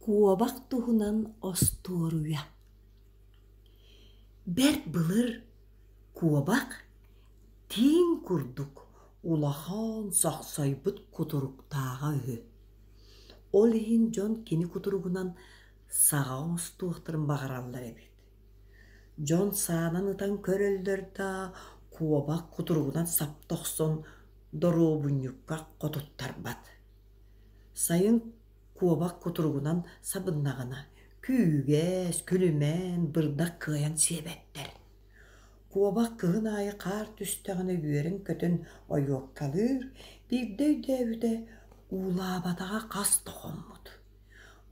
Куобах туһунан остуоруйа Бэрт былыр куобах тииҥ курдук улахан сохсойбут кутуруктааҕа үһү. Ол иһин дьон кини кутуругунан саҕа оҥостуохтарын баҕараллар эбит. Дьон саанан ытан көрөллөр да, куобах кутуругунан сапта охсон доруобунньукка хотуттарбат. Сайын куобах кутуругунан сабыннаҕына, күүгэс, күлүмэн, бырдах кыайан сиэбэттэр. Куобах кыһын аайы хаар түстэҕинэ үөрэн-көтөн ойуоккалыыр, биирдэ өйдөөбүтэ, уулаабатаҕа хас да хоммут.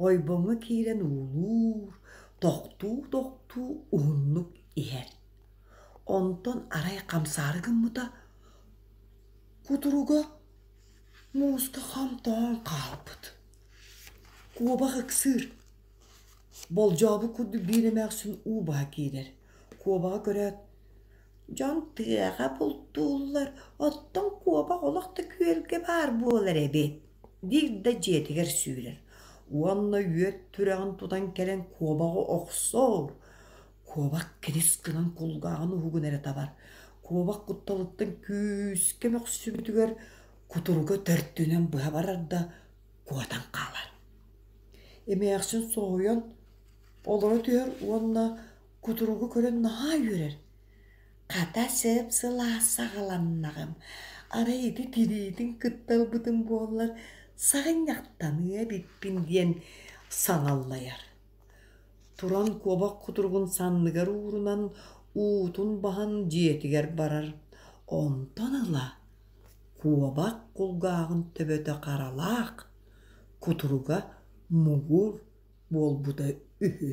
Ойбоҥҥо киирэн уулуур, тохтуу-тохтуу уһуннук иһэр. Онтон арай хамсаары гыммыта, кутуруга мууска хам тоҥон хаалбыт. Куобах ыксыыр, болдьообут курдук биир эмээхсин уу баһа киирэр. Куобаҕы көрөөт, «Дьон тыаҕа бултууллар, оттон куобах олох да күөлгэ баар буолар эбит» диир да дьиэтигэр сүүрэр уонна үөт түрэҕин тутан кэлэн куобаҕы охсор. Куобах кирис гынан кулгааҕын уһугун эрэ табар. Куобах кутталыттан күүскэ мөхсүбүтүгэр кутуруга төрдүнэн быһа барар да куотан хаалар. Эмээхсин соһуйан олоро түһэр уонна кутуругу көрөн наһаа үөрэр. Хата сып-сылаас саҕаланнаҕым, арай ити тириитин кытта ылбытым буоллар саҕынньахтаныа эбиппин диэн саҥаллайар. Туран куобах кутуругун санныгар уурунан, уутун баһан дьиэтигэр барар. Онтон ыла куобах кулгааҕын төбөтө харалаах, кутуруга муҥур буолбута үһү.